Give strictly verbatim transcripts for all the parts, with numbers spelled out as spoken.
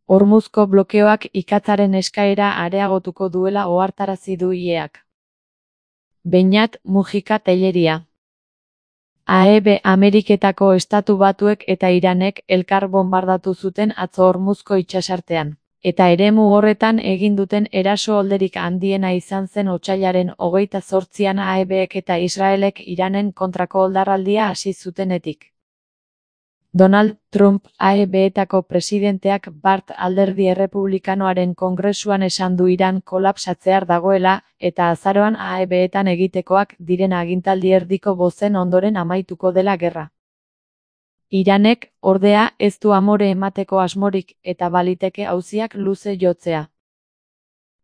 Hormuzko blokeoak ikatzaren eskaera areagotuko duela ohartarazi du I E-ak. Beñat Mujika Telleria. A E B Ameriketako Estatu Batuek eta Iranek elkar bonbardatu zuten atzo Hormuzko itsasartean, eta eremu horretan egin duten eraso olderik handiena izan zen otsailaren hogeita zortzian A E Bek eta Israelek Iranen kontrako oldarraldia hasi zutenetik. Donald Trump A E Betako presidenteak Bart alderdi errepublikanoaren kongresuan esan du Iran kolapsatzear dagoela, eta azaroan A E Betan egitekoak diren agintaldi erdiko bozen ondoren amaituko dela gerra. Iranek, ordea, ez du amore emateko asmorik eta baliteke auziak luze jotzea.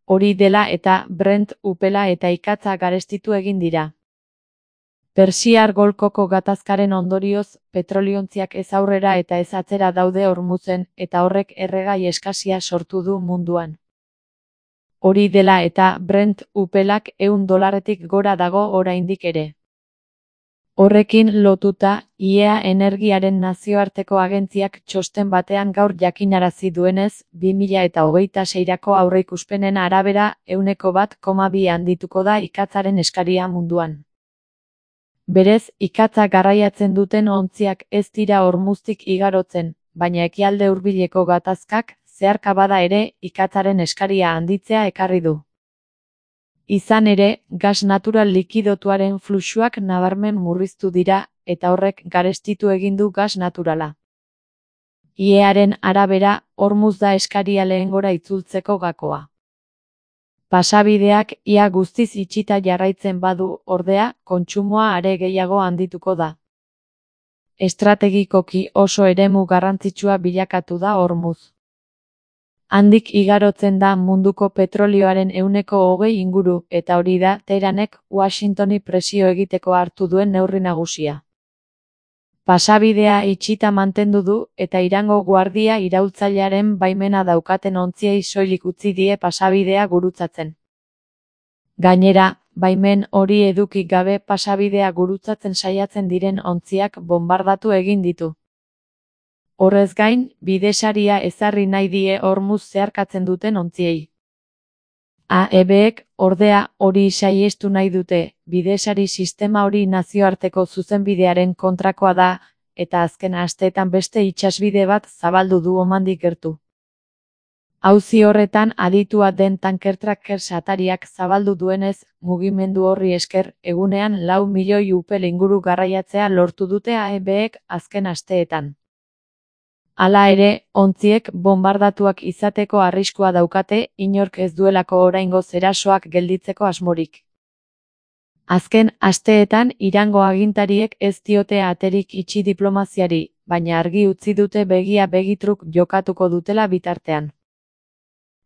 Hori dela eta Brent upela eta ikatza garestitu egin dira. Persiar Golkoko gatazkaren ondorioz, petroliontziak ez aurrera eta ez atzera daude Hormuzen, eta horrek erregai eskasia sortu du munduan. Hori dela eta Brent upelak ehun dolarretik gora dago oraindik ere. Horrekin lotuta, I E A Energiaren nazioarteko agentziak txosten batean gaur jakinarazi duenez, bi mila hogeita seirako aurreikuspenen arabera, ehuneko bat koma bi handituko da ikatzaren eskaria munduan. Berez, ikatza garraiatzen duten ontziak ez dira Hormuztik igarotzen, baina ekialde hurbileko gatazkak, zeharka bada ere, ikatzaren eskaria handitzea ekarri du. Izan ere, gas natural likidotuaren fluxuak nabarmen murriztu dira, eta horrek garestitu egin du gas naturala. I E Aren arabera, Hormuz da eskaria lehengora itzultzeko gakoa. Pasabideak ia guztiz itxita jarraitzen badu, ordea, kontsumoa are gehiago handituko da. Estrategikoki oso eremu garrantzitsua bilakatu da Hormuz. Handik igarotzen da munduko petrolioaren ehuneko hogei inguru, eta hori da Teheranek Washingtoni presio egiteko hartu duen neurri nagusia. Pasabidea itxita mantendu du, eta Irango guardia iraultzailearen baimena daukaten ontziei soilik utzi die pasabidea gurutzatzen. Gainera, baimen hori eduki gabe pasabidea gurutzatzen saiatzen diren ontziak bonbardatu egin ditu. Horrez gain, bidesaria ezarri nahi die Hormuz zeharkatzen duten ontziei. A E Bek, ordea, hori saihestu nahi dute, bidesari sistema hori nazioarteko zuzenbidearen kontrakoa da, eta azken asteetan beste itsasbide bat zabaldu du Omandik gertu. Auzi horretan aditua den tankertracker satariak zabaldu duenez, mugimendu horri esker, egunean lau milioi upel inguru garraiatzea lortu dute A E Bek azken asteetan. Hala ere, ontziek bonbardatuak izateko arriskua daukate, inork ez duelako oraingoz erasoak gelditzeko asmorik. Azken asteetan Irango agintariek ez diote aterik itxi diplomaziari, baina argi utzi dute begia begitruk jokatuko dutela bitartean.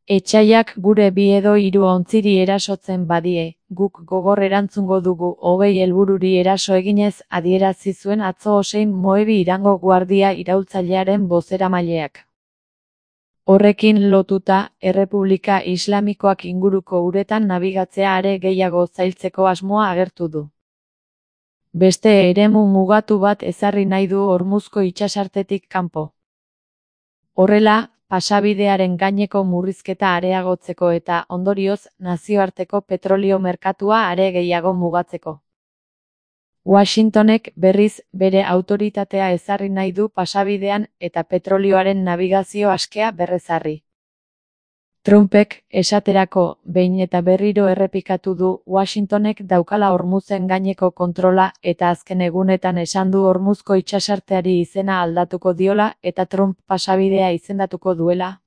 Etsaiak gure bi edo hiru ontziri erasotzen badie, guk gogor erantzungo dugu hogei helbururi eraso eginez adierazi zuen atzo Hossein Moebi Irango guardia iraultzailearen bozeramaileak. Horrekin lotuta, Errepublika Islamikoak inguruko uretan nabigatzea are gehiago zailtzeko asmoa agertu du. Beste eremu mugatu bat ezarri nahi du Hormuzko itsasartetik kanpo. Horrela, pasabidearen gaineko murrizketa areagotzeko eta, ondorioz, nazioarteko petrolio merkatua are gehiago mugatzeko. Washingtonek berriz bere autoritatea ezarri nahi du pasabidean eta petrolioaren nabigazio askea berrezarri. Trumpek, esaterako, behin eta berriro errepikatu du Washingtonek daukala Hormuzen gaineko kontrola eta azken egunetan esan du Hormuzko itsasarteari izena aldatuko diola eta Trump pasabidea izendatuko duela.